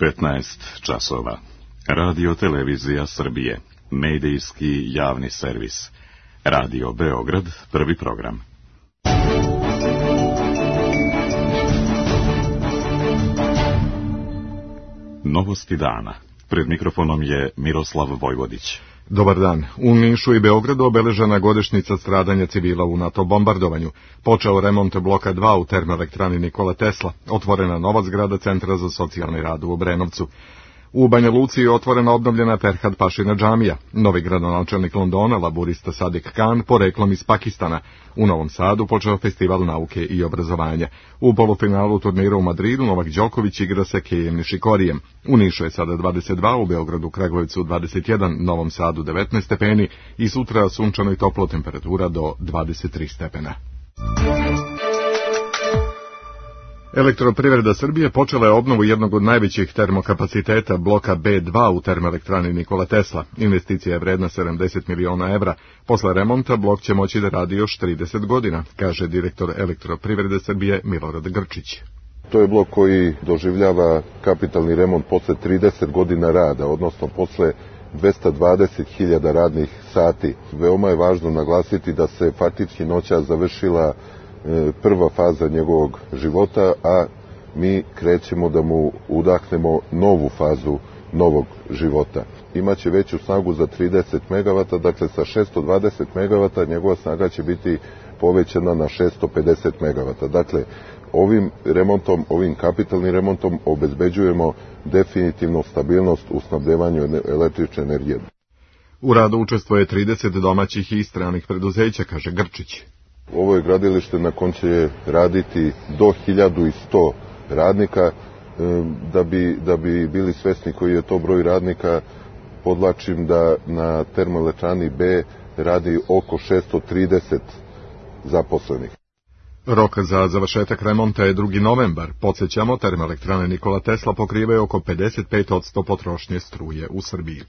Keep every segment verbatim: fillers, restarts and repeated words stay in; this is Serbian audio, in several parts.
petnaest časova. Radio Televizija Srbije. Medijski javni servis. Radio Beograd, prvi program. Novosti dana. Pred mikrofonom je Miroslav Vojvodić. Dobar dan. U Nišu i Beogradu obeležena godišnjica stradanja civila u NATO bombardovanju. Počeo remont bloka dva u termoelektrani Nikola Tesla. Otvorena nova zgrada Centra za socijalni rad u Obrenovcu. U Banja Luci je otvorena obnovljena Ferhat Pašina džamija. Novi gradonačelnik Londona, laburista Sadiq Khan, poreklom iz Pakistana. U Novom Sadu počeo festival nauke i obrazovanja. U polufinalu turnira u Madridu Novak Đoković igra sa Kejem Nišikorijem. U Nišu je sada dvadeset dva, u Beogradu, Kragujevcu dvadeset jedan, Novom Sadu devetnaest stepeni i sutra sunčano i toplo, temperatura do dvadeset tri stepena. Elektroprivreda Srbije počela je obnovu jednog od najvećih termokapaciteta bloka B dva u termoelektrani Nikola Tesla. Investicija je vredna sedamdeset miliona evra. Posle remonta blok će moći da radi još trideset godina, kaže direktor Elektroprivrede Srbije Milorad Grčić. To je blok koji doživljava kapitalni remont posle trideset godina rada, odnosno posle dvesta dvadeset hiljada radnih sati. Veoma je važno naglasiti da se faktički noćas završila prva faza njegovog života, a mi krećemo da mu udahnemo novu fazu novog života. Imaće veću snagu za trideset megavata, dakle sa šesto dvadeset megavata njegova snaga će biti povećana na šesto pedeset megavata. Dakle, ovim remontom, ovim kapitalnim remontom obezbeđujemo definitivno stabilnost u snabdevanju električne energije. U radu učestvuje trideset domaćih i stranih preduzeća, kaže Grčić. Ovo je gradilište na kom će raditi do hiljadu sto radnika. Da bi, da bi bili svesni koji je to broj radnika, podlačim da na termoelektrani B radi oko šesto trideset zaposlenih. Rok za završetak remonta je drugi novembar. Podsjećamo, termoelektrane Nikola Tesla pokrivaju oko pedeset pet posto potrošnje struje u Srbiji.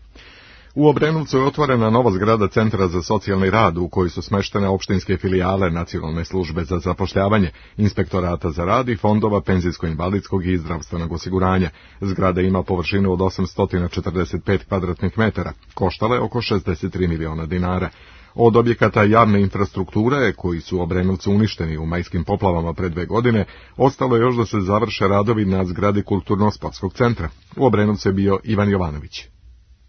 U Obrenovcu je otvorena nova zgrada Centra za socijalni rad u kojoj su smeštene opštinske filijale Nacionalne službe za zapošljavanje, Inspektorata za rad i fondova penzijsko-invalidskog i zdravstvenog osiguranja. Zgrada ima površinu od osamsto četrdeset pet kvadratnih metara. Koštala je oko šezdeset tri miliona dinara. Od objekata javne infrastrukture, koji su u Obrenovcu uništeni u majskim poplavama pre dve godine, ostalo je još da se završe radovi na zgradi Kulturno-sportskog centra. U Obrenovcu je bio Ivan Jovanović.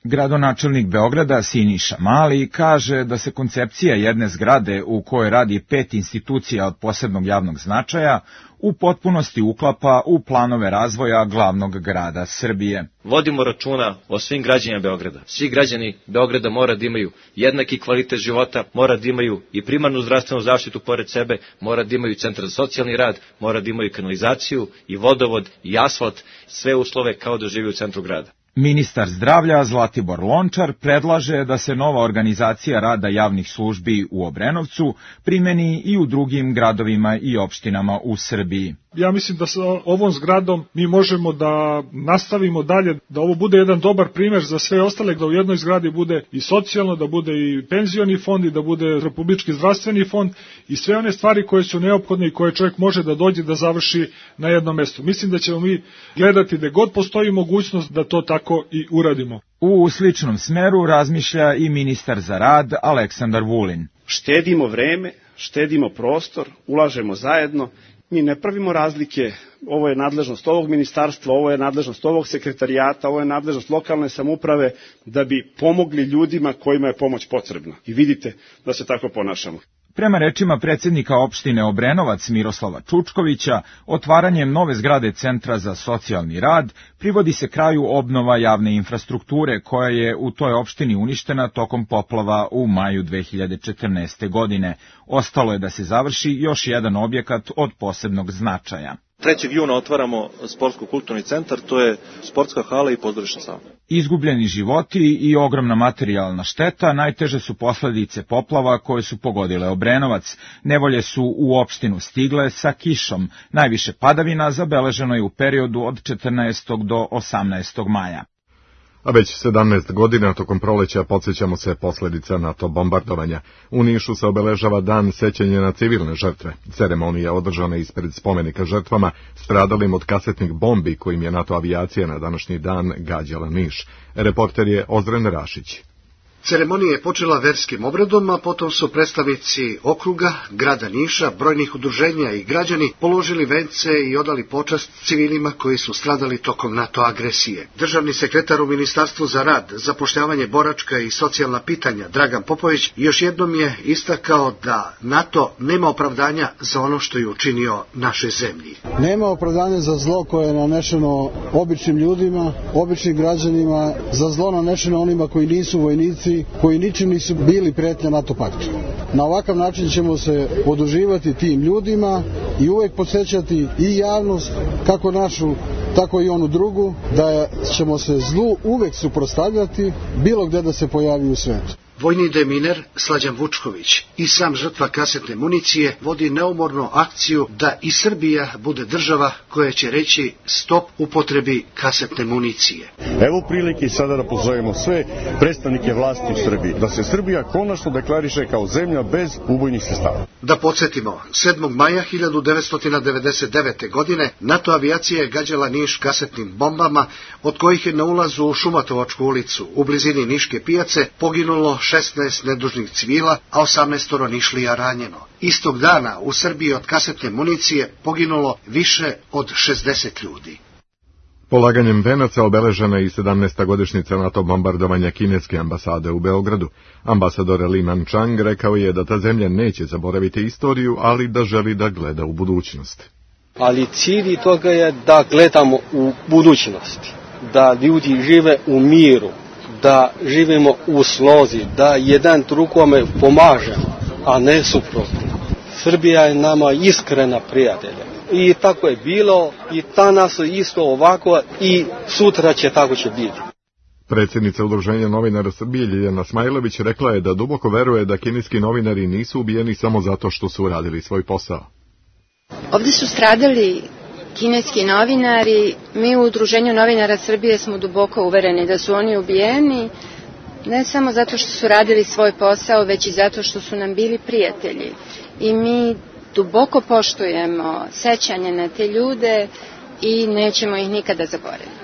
Gradonačelnik Beograda Siniša Mali kaže da se koncepcija jedne zgrade u kojoj radi pet institucija od posebnog javnog značaja u potpunosti uklapa u planove razvoja glavnog grada Srbije. Vodimo računa o svim građanima Beograda. Svi građani Beograda mora da imaju jednaki kvalitet života, mora da imaju i primarnu zdravstvenu zaštitu pored sebe, mora da imaju centar za socijalni rad, mora da imaju kanalizaciju i vodovod i asfalt, sve uslove kao da živi u centru grada. Ministar zdravlja Zlatibor Lončar predlaže da se nova organizacija rada javnih službi u Obrenovcu primeni i u drugim gradovima i opštinama u Srbiji. Ja mislim da sa ovom zgradom mi možemo da nastavimo dalje, da ovo bude jedan dobar primer za sve ostale, da u jednoj zgradi bude i socijalno, da bude i penzioni fond i da bude republički zdravstveni fond i sve one stvari koje su neophodne i koje čovjek može da dođe da završi na jednom mestu. Mislim da ćemo mi gledati da god postoji mogućnost da to tako i uradimo. U sličnom smeru razmišlja i ministar za rad Aleksandar Vulin. Štedimo vreme, štedimo prostor, ulažemo zajedno. Mi ne pravimo razlike, ovo je nadležnost ovog ministarstva, ovo je nadležnost ovog sekretarijata, ovo je nadležnost lokalne samouprave, da bi pomogli ljudima kojima je pomoć potrebna. I vidite da se tako ponašamo. Prema rečima predsjednika opštine Obrenovac Miroslava Čučkovića, otvaranjem nove zgrade Centra za socijalni rad privodi se kraju obnova javne infrastrukture koja je u toj opštini uništena tokom poplava u maju dve hiljade četrnaeste. godine. Ostalo je da se završi još jedan objekat od posebnog značaja. trećeg juna otvaramo sportsko-kulturni centar, to je sportska hala i pozorišna sala. Izgubljeni životi i ogromna materijalna šteta najteže su posledice poplava koje su pogodile Obrenovac. Nevolje su u opštinu stigle sa kišom. Najviše padavina zabeleženo je u periodu od četrnaestog do osamnaestog maja. A već sedamnaest godina tokom proleća podsjećamo se posljedica NATO bombardovanja. U Nišu se obeležava dan sećanja na civilne žrtve. Ceremonija održana ispred spomenika žrtvama stradalim od kasetnih bombi kojim je NATO avijacija na današnji dan gađala Niš. Reporter je Ozren Rašić. Ceremonija je počela verskim obredom, a potom su predstavnici okruga, grada Niša, brojnih udruženja i građani položili vence i odali počast civilima koji su stradali tokom NATO agresije. Državni sekretar u Ministarstvu za rad, zapošljavanje, boračka i socijalna pitanja Dragan Popović još jednom je istakao da NATO nema opravdanja za ono što je učinio našoj zemlji. Nema opravdanja za zlo koje je nanešeno običnim ljudima, običnim građanima, za zlo nanešeno onima koji nisu vojnici, koji ničim nisu bili prijetnja NATO paktu. Na ovakav način ćemo se oduživati tim ljudima i uvek podsjećati i javnost, kako našu, tako i onu drugu, da ćemo se zlu uvek suprotstavljati bilo gde da se pojavi u svetu. Vojni deminer Slađan Vučković i sam žrtva kasetne municije vodi neumorno akciju da i Srbija bude država koja će reći stop upotrebi kasetne municije. Evo prilike sada da pozovemo sve predstavnike vlasti u Srbiji, da se Srbija konačno deklariše kao zemlja bez ubojnih sredstava. Da podsjetimo, sedmog maja hiljadu devetsto devedeset devete. godine NATO avijacija je gađala Niš kasetnim bombama, od kojih je na ulazu u Šumatovačku ulicu u blizini Niške pijace poginulo šesnaest nedužnih civila, a osamnaest Nišlija ranjeno. Istog dana u Srbiji od kasetne municije poginulo više od šezdeset ljudi. Polaganjem venaca obeležena je i sedamnaesta godišnjica NATO bombardovanja kineske ambasade u Beogradu. Ambasador Li Manchang rekao je da ta zemlja neće zaboraviti istoriju, ali da želi da gleda u budućnost. Ali cilj toga je da gledamo u budućnosti, da ljudi žive u miru, da živimo u slozi, da jedan drugome pomažemo, a ne suprotno. Srbija je nama iskrena prijatelja. I tako je bilo, i danas isto ovako, i sutra će tako će biti. Predsjednica Udruženja novinara Srbije Ljiljana Smajlović rekla je da duboko veruje da kineski novinari nisu ubijeni samo zato što su radili svoj posao. Ovdje su stradali kineski novinari. Mi u Udruženju novinara Srbije smo duboko uvereni da su oni ubijeni, ne samo zato što su radili svoj posao, već i zato što su nam bili prijatelji. I mi duboko poštujemo sećanje na te ljude i nećemo ih nikada zaboraviti.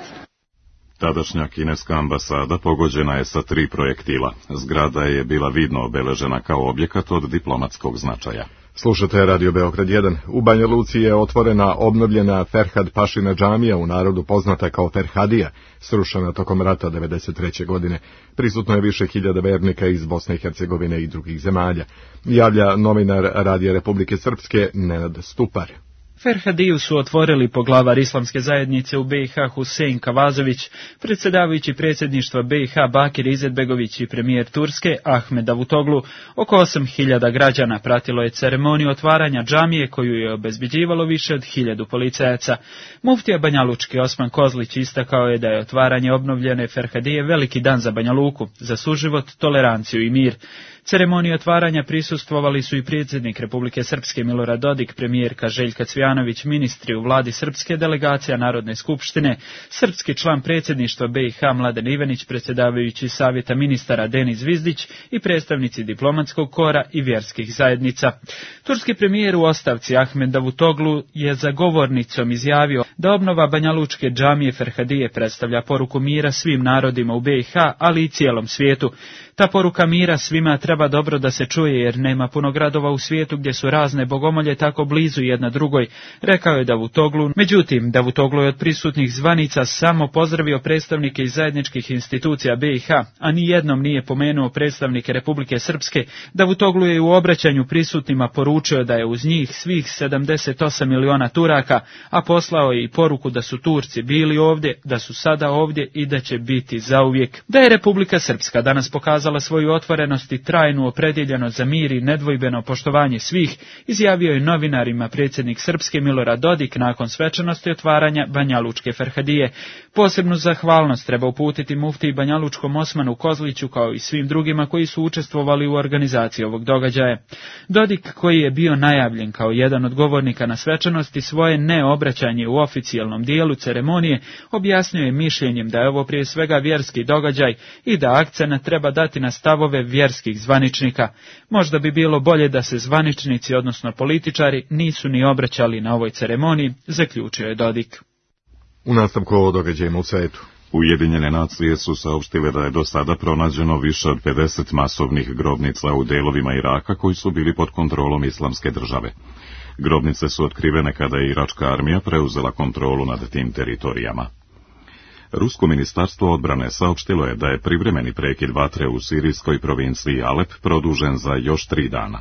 Tadašnja kineska ambasada pogođena je sa tri projektila. Zgrada je bila vidno obeležena kao objekat od diplomatskog značaja. Slušate Radio Beograd jedan. U Banja Luci je otvorena obnovljena Ferhad Pašina džamija, u narodu poznata kao Ferhadija, srušena tokom rata devedeset treće. godine. Prisutno je više hiljada vernika iz Bosne i Hercegovine i drugih zemalja. Javlja novinar Radija Republike Srpske Nenad Stupar. Ferhadiju su otvorili poglavar islamske zajednice u B i H Husein Kavazović, predsjedavajući predsjedništva B i H Bakir Izetbegović i premijer Turske Ahmed Davutoglu. Oko osam hiljada građana pratilo je ceremoniju otvaranja džamije koju je obezbeđivalo više od hiljadu policajaca. Muftija Banjalučki Osman Kozlić istakao je da je otvaranje obnovljene Ferhadije veliki dan za Banja Luku, za suživot, toleranciju i mir. Ceremoniji otvaranja prisustvovali su i predsjednik Republike Srpske Milorad Dodik, premijerka Željka Cvjanović, ministri u vladi Srpske, delegacija Narodne skupštine, srpski član predsjedništva B i H Mladen Ivanić, predsjedavajući savjeta ministara Denis Zvizdić i predstavnici diplomatskog kora i vjerskih zajednica. Turski premijer u ostavci Ahmed Davutoglu je za govornicom izjavio da obnova Banjalučke džamije Ferhadije predstavlja poruku mira svim narodima u B i H, ali i cijelom svijetu. Ta poruka mira svima treba dobro da se čuje, jer nema puno gradova u svijetu gdje su razne bogomolje tako blizu jedna drugoj, rekao je Davutoglu. Međutim, Davutoglu je od prisutnih zvanica samo pozdravio predstavnike iz zajedničkih institucija B i H, a ni jednom nije pomenuo predstavnike Republike Srpske. Davutoglu je u obraćanju prisutnima poručio da je uz njih svih sedamdeset osam miliona Turaka, a poslao je i poruku da su Turci bili ovdje, da su sada ovdje i da će biti zauvijek. Da je Republika Srpska danas pokazala svoju otvorenost i trajnu opredjeljenost za mir i nedvojbeno poštovanje svih, izjavio je novinarima predsjednik Srpske Milorad Dodik nakon svečanosti otvaranja Banjalučke Ferhadije. Posebnu zahvalnost treba uputiti muftiji Banjalučkom Osmanu Kozliću kao i svim drugima koji su učestvovali u organizaciji ovog događaja. Dodik, koji je bio najavljen kao jedan od govornika na svečanosti, svoje neobraćanje u oficijalnom oficijalnom dijelu ceremonije objasnio je mišljenjem da je ovo prije svega vjerski događaj i da akcenat treba dati na stavove vjerskih zvaničnika. Možda bi bilo bolje da se zvaničnici, odnosno političari, nisu ni obraćali na ovoj ceremoniji, zaključio je Dodik. U nastavku o događajima u svetu. Ujedinjene nacije su saopštile da je do sada pronađeno više od pedeset masovnih grobnica u delovima Iraka koji su bili pod kontrolom Islamske države. Grobnice su otkrivene kada je iračka armija preuzela kontrolu nad tim teritorijama. Rusko ministarstvo odbrane saopštilo je da je privremeni prekid vatre u sirijskoj provinciji Alep produžen za još tri dana.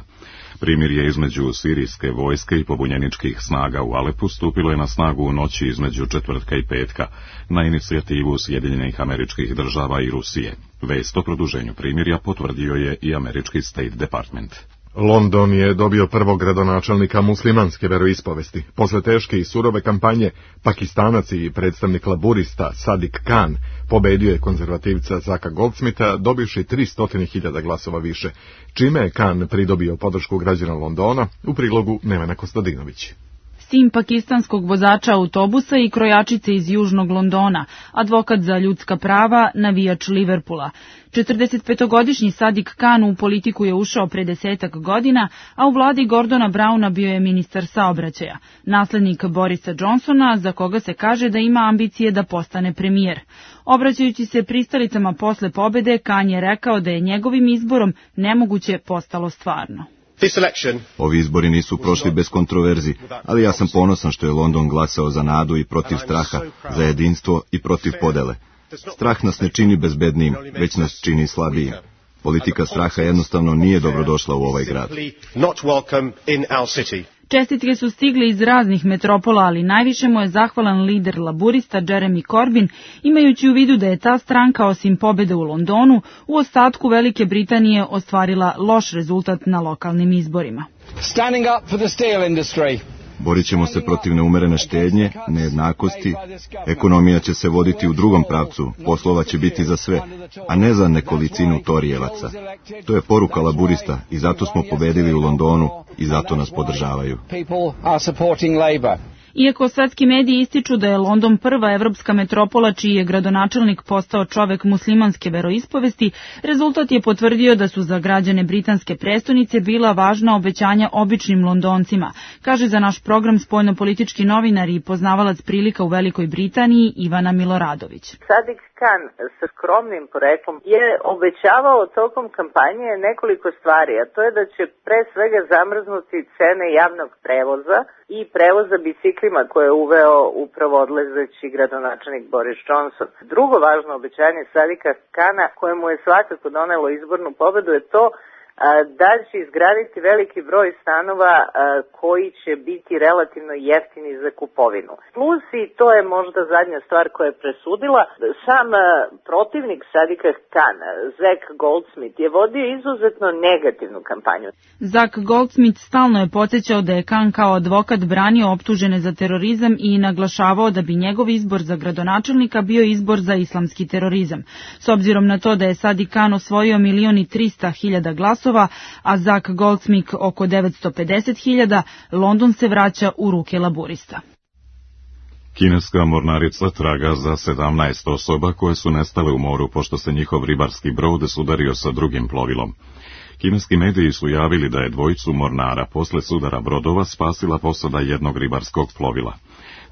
Primirje između sirijske vojske i pobunjeničkih snaga u Alepu stupilo je na snagu u noći između četvrtka i petka, na inicijativu Sjedinjenih Američkih Država i Rusije. Vest o produženju primirja potvrdio je i američki State Department. London je dobio prvog gradonačelnika muslimanske veroispovesti. Posle teške i surove kampanje, Pakistanac i predstavnik laburista Sadiq Khan pobedio je konzervativca Zacka Goldsmitha dobivši tristo hiljada glasova više, čime je Khan pridobio podršku građana Londona, u prilogu Nevena Kostadinović. Sin pakistanskog vozača autobusa i krojačice iz južnog Londona, advokat za ljudska prava, navijač Liverpoola. četrdesetpetogodišnji Sadiq Khan u politiku je ušao pre desetak godina, a u vladi Gordona Browna bio je ministar saobraćaja, naslednik Borisa Johnsona, za koga se kaže da ima ambicije da postane premijer. Obraćajući se pristalicama posle pobede, Khan je rekao da je njegovim izborom nemoguće postalo stvarno. Ovi izbori nisu prošli bez kontroverzi, ali ja sam ponosan što je London glasao za nadu i protiv straha, za jedinstvo i protiv podele. Strah nas ne čini bezbednijim, već nas čini slabijim. Politika straha jednostavno nije dobrodošla u ovaj grad. Čestitke su stigle iz raznih metropola, ali najviše mu je zahvalan lider laburista Jeremy Corbyn, imajući u vidu da je ta stranka osim pobede u Londonu, u ostatku Velike Britanije ostvarila loš rezultat na lokalnim izborima. Standing up for the steel industry. Borit ćemo se protiv neumerene štednje, nejednakosti, ekonomija će se voditi u drugom pravcu, poslova će biti za sve, a ne za nekolicinu torijevaca. To je poruka laburista i zato smo pobedili u Londonu i zato nas podržavaju. Iako svetski mediji ističu da je London prva evropska metropola čiji je gradonačelnik postao čovek muslimanske veroispovesti, rezultat je potvrdio da su za građane britanske prestonice bila važna obećanja običnim Londoncima, kaže za naš program spoljnopolitički novinar i poznavalac prilika u Velikoj Britaniji Ivana Miloradović. Sadiq Khan sa skromnim poreklom je obećavao tokom kampanje nekoliko stvari, a to je da će pre svega zamrznuti cene javnog prevoza i prevoza biciklima koje je uveo upravo odlazeći gradonačelnik Boris Johnson. Drugo važno obećanje Sadiqa Khana, koje mu je svakako donelo izbornu pobedu, je to da će izgraditi veliki broj stanova koji će biti relativno jeftini za kupovinu. Plus, i to je možda zadnja stvar koja je presudila, sam protivnik Sadiqa Khana, Zack Goldsmith, je vodio izuzetno negativnu kampanju. Zack Goldsmith stalno je podsjećao da je Khan kao advokat branio optužene za terorizam i naglašavao da bi njegov izbor za gradonačelnika bio izbor za islamski terorizam. S obzirom na to da je Sadiq Khan osvojio milion i trista hiljada glasova, a Zack Goldsmith oko devetsto pedeset hiljada, London se vraća u ruke laburista. Kineska mornarica traga za sedamnaest osoba koje su nestale u moru pošto se njihov ribarski brod sudario sa drugim plovilom. Kineski mediji su javili da je dvojicu mornara posle sudara brodova spasila posada jednog ribarskog plovila.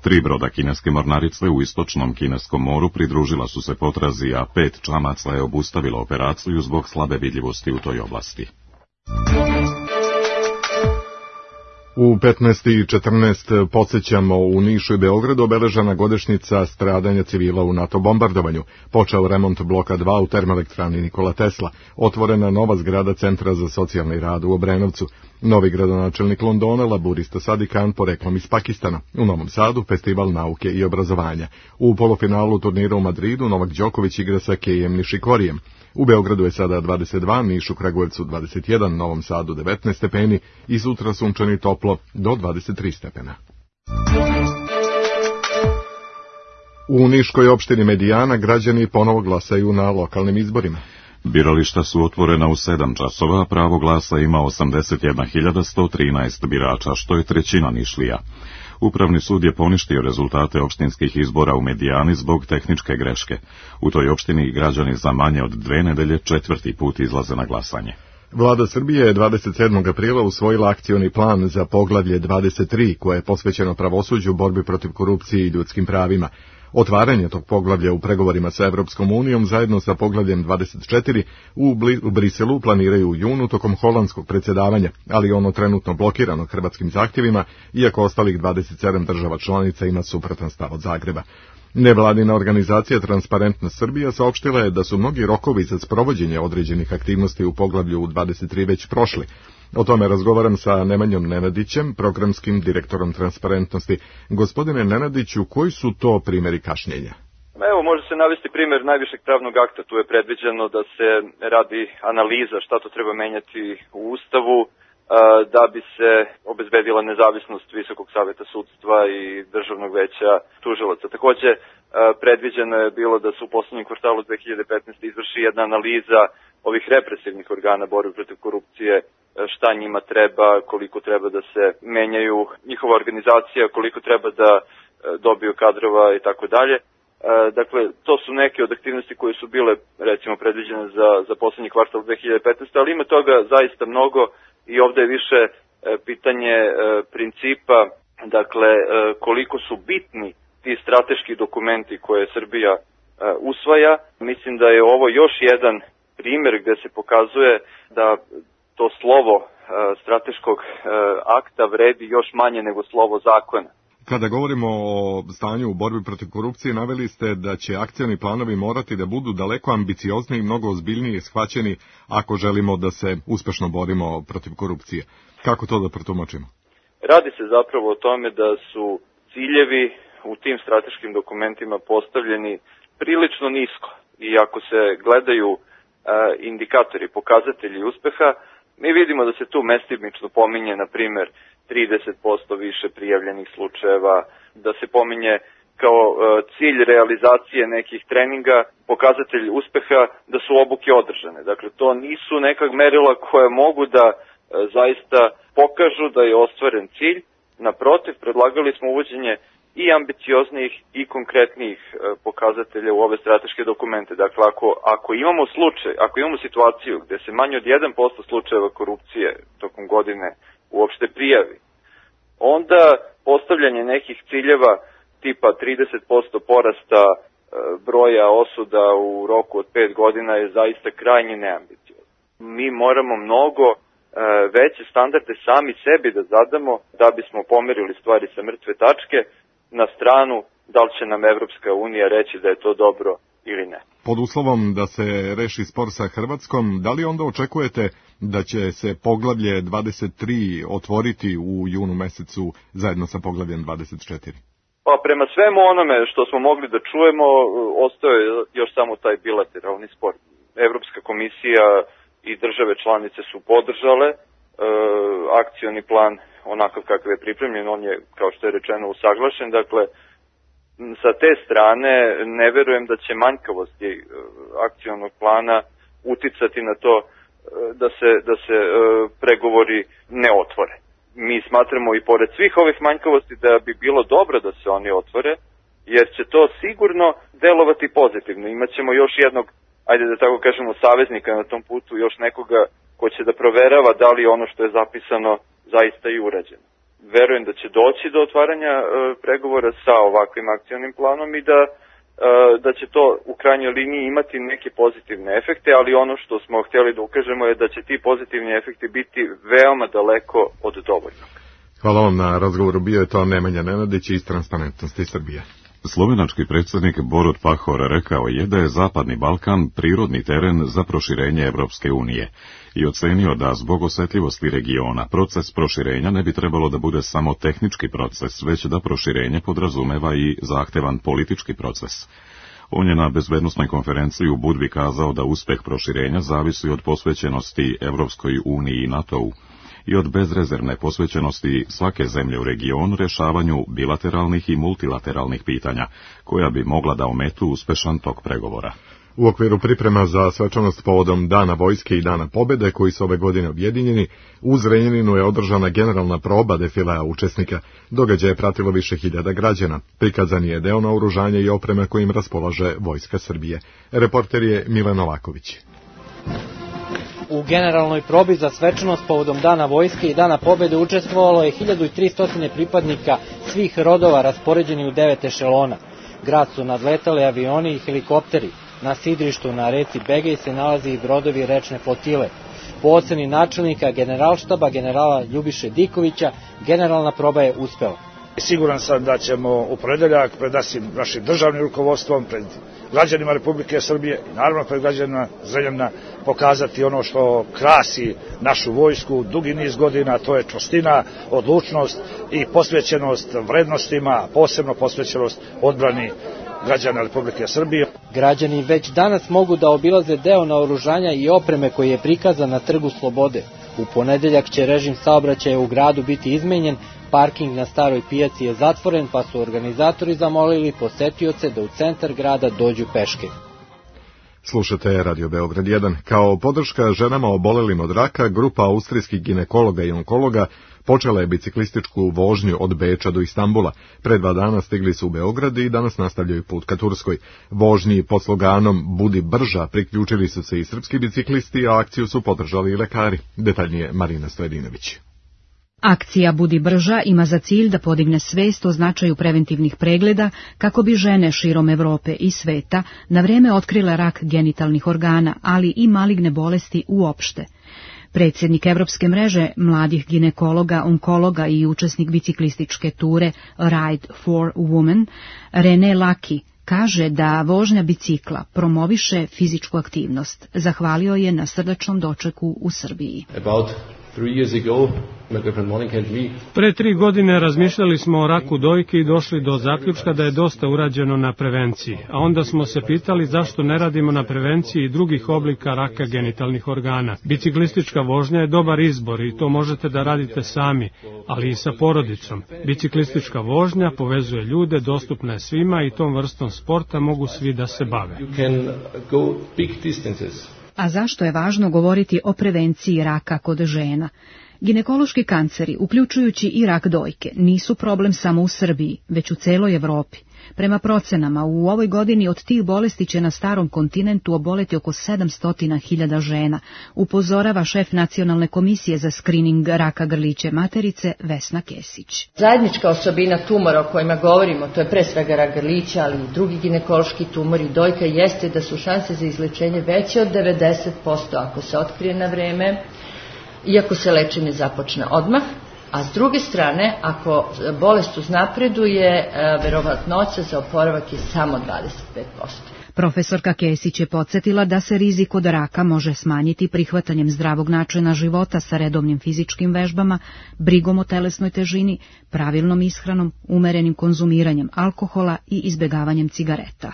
Tri broda kineske mornarice u istočnom kineskom moru pridružila su se potrazi, a pet čamaca je obustavilo operaciju zbog slabe vidljivosti u toj oblasti. U petnaest i četrnaest podsjećamo u Nišu i Beogradu obeležena godišnjica stradanja civila u NATO bombardovanju. Počeo remont bloka dva u termoelektrani Nikola Tesla, otvorena nova zgrada Centra za socijalni rad u Obrenovcu, novi gradonačelnik Londona, laburista Sadiq Khan poreklom iz Pakistana, u Novom Sadu festival nauke i obrazovanja. U polufinalu turnira u Madridu Novak Đoković igra sa Kejem Nišikorijem. U Beogradu je sada dvadeset dva, Nišu, Kragujevcu dvadeset jedan, Novom Sadu devetnaest stepeni i sutra sunčani toplo do dvadeset tri stepena. U Niškoj opštini Medijana građani ponovo glasaju na lokalnim izborima. Birališta su otvorena u sedam časova, a pravo glasa ima osamdeset jedna hiljada sto trinaest birača, što je trećina Nišlija. Upravni sud je poništio rezultate opštinskih izbora u Medijani zbog tehničke greške. U toj opštini građani za manje od dve nedelje četvrti put izlaze na glasanje. Vlada Srbije je dvadeset sedmog aprila usvojila akcioni plan za poglavlje dvadeset tri, koje je posvećeno pravosuđu, borbi protiv korupcije i ljudskim pravima. Otvaranje tog poglavlja u pregovorima sa Evropskom unijom zajedno sa poglavljem dvadeset četiri u, u Briselu planiraju u junu tokom holandskog predsjedavanja, ali ono trenutno blokirano hrvatskim zahtjevima, iako ostalih dvadeset sedam država članica ima suprotan stav od Zagreba. Nevladina organizacija Transparentnost Srbija saopštila je da su mnogi rokovi za sprovođenje određenih aktivnosti u poglavlju dvadeset tri već prošli. O tome razgovaram sa Nemanjom Nenadićem, programskim direktorom Transparentnosti. Gospodine Nenadiću, koji su to primjeri kašnjenja? Evo, može se navesti primjer najvišeg pravnog akta. Tu je predviđeno da se radi analiza šta to treba menjati u Ustavu, da bi se obezbedila nezavisnost Visokog saveta sudstva i Državnog veća tužilaca. Takođe, predviđeno je bilo da se u poslednjem kvartalu dve hiljade petnaeste. izvrši jedna analiza ovih represivnih organa borbe protiv korupcije, šta njima treba, koliko treba da se menjaju njihova organizacija, koliko treba da dobiju kadrova i tako dalje. Dakle, to su neke od aktivnosti koje su bile, recimo, predviđene za, za poslednji kvartal dve hiljade petnaeste. ali ima toga zaista mnogo i ovde je više pitanje principa, dakle, koliko su bitni ti strateški dokumenti koje Srbija usvaja. Mislim da je ovo još jedan primjer gde se pokazuje da to slovo strateškog akta vredi još manje nego slovo zakona. Kada govorimo o stanju u borbi protiv korupcije, naveli ste da će akcioni planovi morati da budu daleko ambiciozniji i mnogo ozbiljnije shvaćeni ako želimo da se uspešno borimo protiv korupcije. Kako to da protumačimo? Radi se zapravo o tome da su ciljevi u tim strateškim dokumentima postavljeni prilično nisko i ako se gledaju e, indikatori, pokazatelji uspeha, mi vidimo da se tu mestimično pominje, na primjer, trideset posto više prijavljenih slučajeva, da se pominje kao e, cilj realizacije nekih treninga, pokazatelj uspeha da su obuke održane. Dakle, to nisu neka merila koja mogu da e, zaista pokažu da je ostvaren cilj. Naprotiv, predlagali smo uvođenje i ambicioznijih i konkretnijih e, pokazatelja u ove strateške dokumente. Dakle, ako, ako imamo slučaj, ako imamo situaciju gde se manje od jedan posto slučajeva korupcije tokom godine uopšte prijavi, onda postavljanje nekih ciljeva tipa trideset posto porasta e, broja osuda u roku od pet godina je zaista krajnje neambiciozno. Mi moramo mnogo e, veće standarde sami sebi da zadamo da bismo pomerili stvari sa mrtve tačke, na stranu da li će nam Evropska unija reći da je to dobro ili ne. Pod uslovom da se reši spor sa Hrvatskom, da li onda očekujete da će se poglavlje dvadeset tri otvoriti u junu mesecu zajedno sa poglavljem dvadeset četiri? Pa prema svemu onome što smo mogli da čujemo, ostao je još samo taj bilateralni spor. Evropska komisija i države članice su podržale e, akcioni plan onakav kakav je pripremljen, on je, kao što je rečeno, usaglašen. Dakle, sa te strane ne verujem da će manjkavosti e, akcionog plana uticati na to e, da se, da se e, pregovori ne otvore. Mi smatramo i pored svih ovih manjkavosti da bi bilo dobro da se oni otvore, jer će to sigurno delovati pozitivno. Imaćemo još jednog, ajde da tako kažemo, saveznika na tom putu, još nekoga ko će da proverava da li ono što je zapisano zaista i urađeno. Verujem da će doći do otvaranja e, pregovora sa ovakvim akcionim planom i da, e, da će to u krajnjoj liniji imati neke pozitivne efekte, ali ono što smo htjeli da ukažemo je da će ti pozitivni efekti biti veoma daleko od dovoljnog. Hvala vam na razgovoru. Bio je to Nemanja Nenadić iz Transparentnosti Srbije. Slovenački predsjednik Borut Pahor rekao je da je Zapadni Balkan prirodni teren za proširenje Evropske unije i ocenio da zbog osjetljivosti regiona proces proširenja ne bi trebalo da bude samo tehnički proces, već da proširenje podrazumeva i zahtevan politički proces. On je na bezbednosnoj konferenciji u Budvi kazao da uspeh proširenja zavisi od posvećenosti Evropskoj uniji i NATO-u i od bezrezervne posvećenosti svake zemlje u regionu rješavanju bilateralnih i multilateralnih pitanja, koja bi mogla da ometu uspešan tok pregovora. U okviru priprema za svečanost povodom Dana vojske i Dana pobjede, koji su ove godine objedinjeni, u Zrenjaninu je održana generalna proba defilea učesnika. Događaj je pratilo više hiljada građana. Prikazan je deo naoružanja i opreme kojim raspolaže Vojska Srbije. Reporter je Milan Novaković. U generalnoj probi za svečanost povodom Dana vojske i Dana pobjede učestvovalo je hiljadu tristo pripadnika svih rodova raspoređeni u devet ešelona. Grad su nadletali avioni i helikopteri. Na sidrištu na reci Begej se nalazi i brodovi rečne flotile. Po oceni načelnika generalštaba generala Ljubiše Dikovića, generalna proba je uspela. Siguran sam da ćemo u ponedeljak pred našim državnim rukovodstvom, pred građanima Republike Srbije i naravno pred građanima Zrenjanina pokazati ono što krasi našu vojsku dugi niz godina, to je čvrstina, odlučnost i posvećenost vrednostima, posebno posvećenost odbrani građana Republike Srbije. Građani već danas mogu da obilaze deo naoružanja i opreme koji je prikazan na Trgu Slobode. U ponedeljak će režim saobraćaja u gradu biti izmenjen, parking na Staroj pijaci je zatvoren, pa su organizatori zamolili posetioce da u centar grada dođu peške. Slušate Radio Beograd jedan. Kao podrška ženama obolelim od raka, grupa austrijskih ginekologa i onkologa počela je biciklističku vožnju od Beča do Istambula. Pre dva dana stigli su u Beograd i danas nastavljaju put ka Turskoj. Vožnji pod sloganom Budi brža priključili su se i srpski biciklisti, a akciju su podržali i lekari. Detaljnije Marina Stojedinović. Akcija Budi brža ima za cilj da podigne svest o značaju preventivnih pregleda kako bi žene širom Evrope i sveta na vreme otkrile rak genitalnih organa, ali i maligne bolesti uopšte. Predsjednik Evropske mreže mladih ginekologa, onkologa i učesnik biciklističke ture Ride for Women, René Laki, kaže da vožnja bicikla promoviše fizičku aktivnost. Zahvalio je na srdačnom dočeku u Srbiji. About three years ago, my girlfriend Monica and me. Pre tri godine razmišljali smo o raku dojke i došli do zaključka da je dosta urađeno na prevenciji, a onda smo se pitali zašto ne radimo na prevenciji drugih oblika raka genitalnih organa. Biciklistička vožnja je dobar izbor i to možete da radite sami, ali i sa porodicom. Biciklistička vožnja povezuje ljude, dostupna je svima i tom vrstom sporta mogu svi da se bave. You can go big distances. A zašto je važno govoriti o prevenciji raka kod žena? Ginekološki kanceri, uključujući i rak dojke, nisu problem samo u Srbiji, već u celoj Evropi. Prema procenama, u ovoj godini od tih bolesti će na starom kontinentu oboleti oko sedamsto hiljada žena, upozorava šef Nacionalne komisije za skrining raka grliće materice Vesna Kesić. Zajednička osobina tumora o kojima govorimo, to je pre svega rak grlića, ali i drugi ginekološki tumori dojka, jeste da su šanse za izlečenje veće od devedeset posto ako se otkrije na vreme, iako se lečenje započne odmah. A s druge strane, ako bolest uznapreduje, verovatnoća za oporavak je samo dvadeset pet posto. Profesorka Kesić je podsjetila da se rizik od raka može smanjiti prihvatanjem zdravog načina života sa redovnim fizičkim vežbama, brigom o telesnoj težini, pravilnom ishranom, umerenim konzumiranjem alkohola i izbegavanjem cigareta.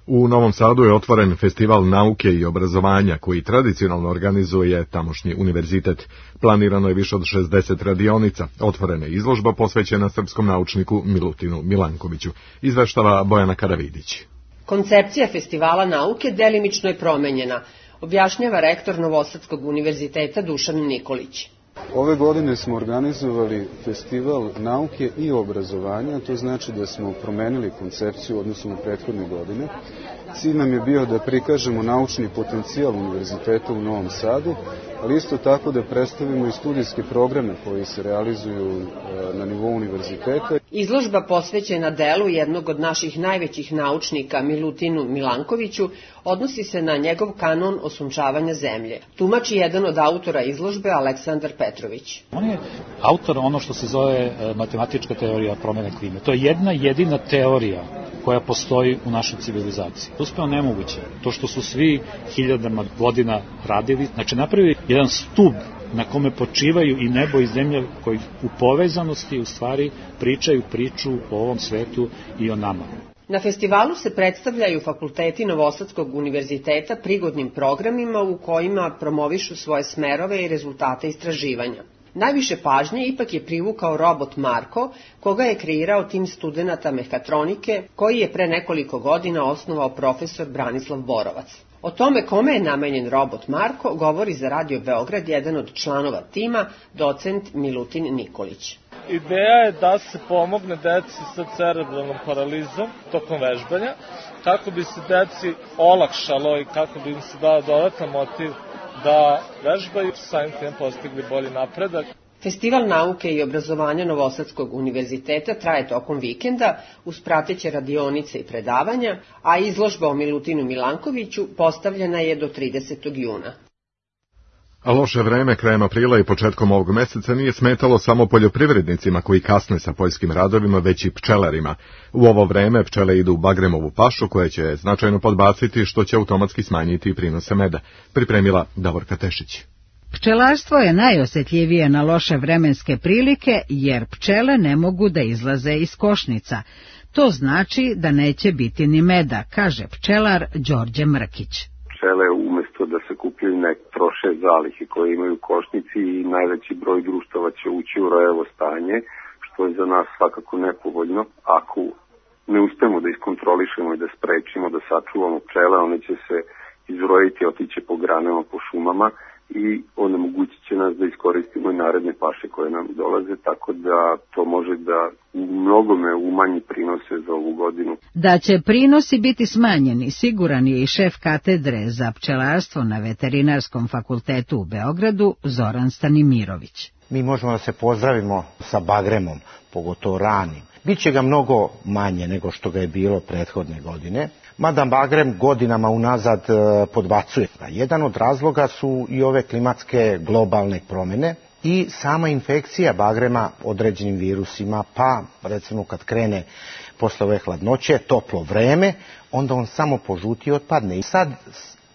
U Novom Sadu je otvoren festival nauke i obrazovanja koji tradicionalno organizuje tamošnji univerzitet. Planirano je više od šezdeset radionica. Otvorena je izložba posvećena srpskom naučniku Milutinu Milankoviću. Izveštava Bojana Karavidić. Koncepcija festivala nauke delimično je promenjena, objašnjava rektor Novosadskog univerziteta Dušan Nikolić. Ove godine smo organizovali festival nauke i obrazovanja, to znači da smo promenili koncepciju odnosno u prethodne godine. Cilj nam je bio da prikažemo naučni potencijal univerziteta u Novom Sadu, ali isto tako da predstavimo i studijske programe koji se realizuju na nivou univerziteta. Izložba posvećena delu jednog od naših najvećih naučnika, Milutinu Milankoviću, odnosi se na njegov kanon osunčavanja zemlje. Tumači jedan od autora izložbe, Aleksandar Petrović. On je autor ono što se zove matematička teorija promene klime. To je jedna jedina teorija koja postoji u našoj civilizaciji. Uspeo nemoguće. To što su svi hiljadama godina radili, znači napravi jedan stub na kome počivaju i nebo i zemlja koji u povezanosti u stvari pričaju priču o ovom svetu i o nama. Na festivalu se predstavljaju fakulteti Novosadskog univerziteta prigodnim programima u kojima promovišu svoje smerove i rezultate istraživanja. Najviše pažnje ipak je privukao robot Marko, koga je kreirao tim studenata mehatronike, koji je pre nekoliko godina osnovao profesor Branislav Borovac. O tome kome je namenjen robot Marko govori za Radio Beograd jedan od članova tima, docent Milutin Nikolić. Ideja je da se pomogne deci sa cerebralnom paralizom tokom vežbanja, kako bi se deci olakšalo i kako bi im se dao dodatan motiv da vežbaju, samim tim postigli bolji napredak. Festival nauke i obrazovanja Novosadskog univerziteta traje tokom vikenda uz prateće radionice i predavanja, a izložba o Milutinu Milankoviću postavljena je do tridesetog juna. A loše vreme krajem aprila i početkom ovog meseca nije smetalo samo poljoprivrednicima koji kasne sa poljskim radovima, već i pčelarima. U ovo vreme pčele idu u bagremovu pašu koja će značajno podbaciti, što će automatski smanjiti prinose meda. Pripremila Davorka Tešić. Pčelarstvo je najosjetljivije na loše vremenske prilike, jer pčele ne mogu da izlaze iz košnica. To znači da neće biti ni meda, kaže pčelar Đorđe Mrkić. Pčele umjesto da se kupljaju ne troše zalihe koje imaju košnici i najveći broj društava će ući u rojevo stanje, što je za nas svakako nepovoljno. Ako ne uspemo da iskontrolišemo i da sprečimo, da sačuvamo pčele, one će se izrojiti, otiće po granama, po šumama i onemogućit će nas da iskoristimo i naredne paše koje nam dolaze, tako da to može da u mnogome umanji prinose za ovu godinu. Da će prinosi biti smanjeni, siguran je i šef katedre za pčelarstvo na Veterinarskom fakultetu u Beogradu, Zoran Stanimirović. Mi možemo da se pozdravimo sa bagremom, pogotovo ranim. Biće ga mnogo manje nego što ga je bilo prethodne godine, mada bagrem godinama unazad podbacuje. Jedan od razloga su i ove klimatske globalne promjene i sama infekcija bagrema određenim virusima, pa recimo kad krene posle ove hladnoće, toplo vreme, onda on samo požuti i otpadne. I sad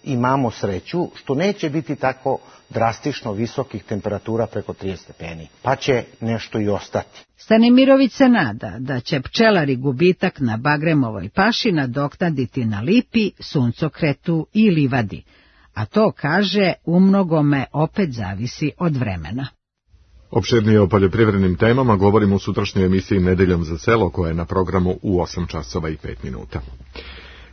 imamo sreću što neće biti tako drastično visokih temperatura preko trideset stepeni, pa će nešto i ostati. Stanimirović se nada da će pčelari gubitak na bagremovoj paši nadoknaditi na lipi, suncokretu i livadi, a to, kaže, umnogome opet zavisi od vremena. Opširnije o poljoprivrednim temama govorimo u sutrašnjoj emisiji Nedeljom za selo, koja je na programu u osam časova i pet minuta.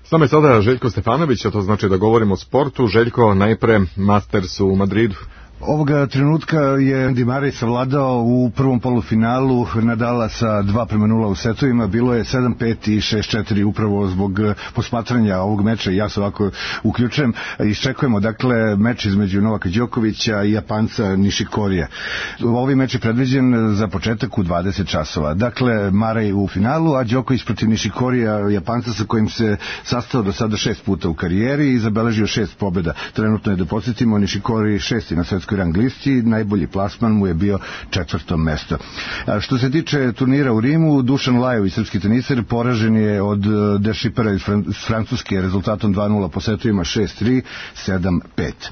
S nama je sada Željko Stefanović, a to znači da govorimo o sportu. Željko, najpre Masters u Madridu. Ovoga trenutka je Andy Murray savladao u prvom polufinalu Nadala sa dva prema nula u setovima. Bilo je sedam pet i šest četiri upravo zbog posmatranja ovog meča. Ja se ovako uključujem. Iščekujemo dakle meč između Novaka Đokovića i Japanca Nishikorija. Ovaj meč je predviđen za početak u dvadeset časova. Dakle, Murray u finalu, a Đoković protiv Nishikorija, Japanca sa kojim se sastao do sada šest puta u karijeri i zabeležio šest pobjeda. Trenutno je, da podsjetimo, Nishikori šesti na svetskoj rang listi, najbolji plasman mu je bio četvrto mesto. A što se tiče turnira u Rimu, Dušan Lajović, srpski teniser, poražen je od De Schipera iz Francuske rezultatom dva nula po setovima šest tri, sedam pet.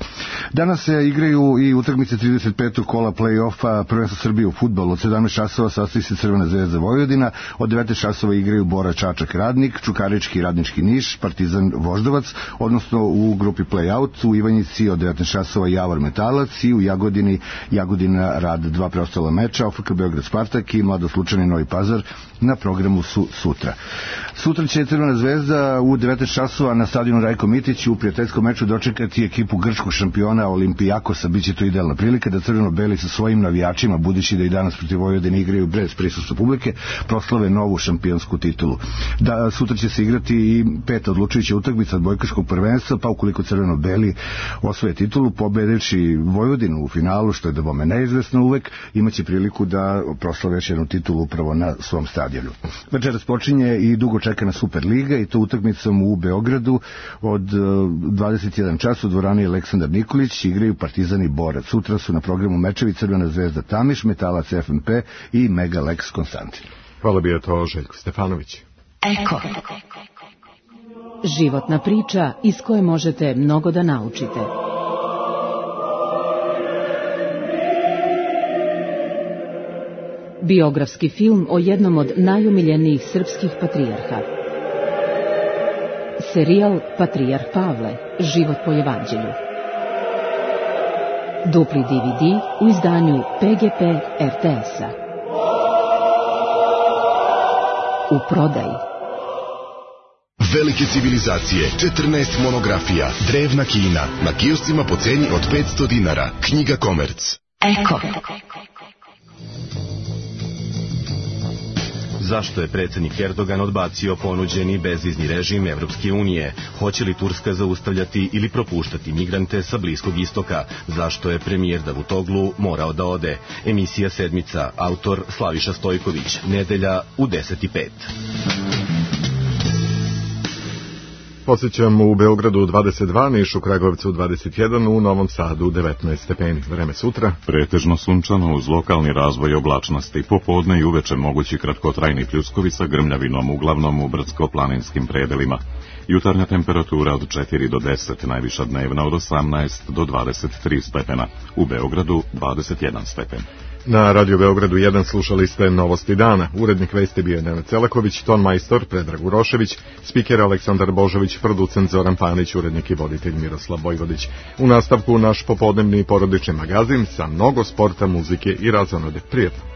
Danas se igraju i utakmice trideset petog kola play-offa prvenstva Srbije u fudbalu. Od sedamnaest časova sastoji se Crvena zvezda Vojvodina, od devetnaest časova igraju Bora Čačak Radnik, Čukarički i Radnički Niš, Partizan Voždovac, odnosno u grupi play-out u Ivanjici od devetnaest časova Javor Metalac i u Jagodini Jagodina Rad. Dva preostala meča, O F K Beograd Spartak i Mladost Lučani Novi Pazar na programu su sutra. Sutra će Crvena zvezda u devetnaest časova na stadionu Rajko Mitić u prijateljskom meču dočekati ekipu grčkog šampiona Olimpijakosa. Biće to idealna prilika da crveno-beli sa svojim navijačima, budući da i danas protiv Vojvodine igraju bez prisustva publike, proslave novu šampionsku titulu. Da, sutra će se igrati i peta odlučujuća utakmica odbojkaškog prvenstva, pa ukoliko crveno-beli osvoje titulu, pobedivši Vojvodinu u finalu, što je da bome neizvesno uvek, imaće priliku da proslave još jednu titulu upravo na svom stadionu. Večeras počinje i dugo čekana Superliga, i to utakmicom u Beogradu od dvadeset jedan čas u dvorani Aleksandar Nikolić igraju Partizan i Borac. Sutra su na programu mečevi Crvena zvezda Tamiš, Metalac F N P i Mega Lex Konstantin. Hvala, bio to Željko Stefanović. Eko. Životna priča iz koje možete mnogo da naučite. Biografski film o jednom od najomiljenijih srpskih patrijarha. Serijal Patrijarh Pavle, život po evanđelju. Dupli D V D u izdanju P G P R T S-a. U prodaji. Velike civilizacije, četrnaest monografija, drevna Kina, na kioscima po ceni od petsto dinara. Knjiga Komerc. Eko. Zašto je predsjednik Erdogan odbacio ponuđeni bezizni režim Evropske unije? Hoće li Turska zaustavljati ili propuštati migrante sa Bliskog istoka? Zašto je premijer Davutoglu morao da ode? Emisija Sedmica, autor Slaviša Stojković, nedelja u deset i pet. Posjećam u Beogradu dvadeset dva, Nišu, Kragovcu dvadeset jedan, u Novom Sadu devetnaest stepeni. Vreme sutra. Pretežno sunčano uz lokalni razvoj oblačnosti. Popodne i uveče mogući kratkotrajni pljuskovi sa grmljavinom, uglavnom u brdsko-planinskim predelima. Jutarnja temperatura od četiri do deset, najviša dnevna od osamnaest do dvadeset tri stepena. U Beogradu dvadeset jedan stepen. Na Radio Beogradu jedan slušali ste Novosti dana. Urednik vesti bio je Nenad Celaković, ton majstor Predrag Urošević, spiker Aleksandar Božović, producent Zoran Panić, urednik i voditelj Miroslav Bojvodić. U nastavku naš popodnevni porodični magazin sa mnogo sporta, muzike i razonode. Prijetno.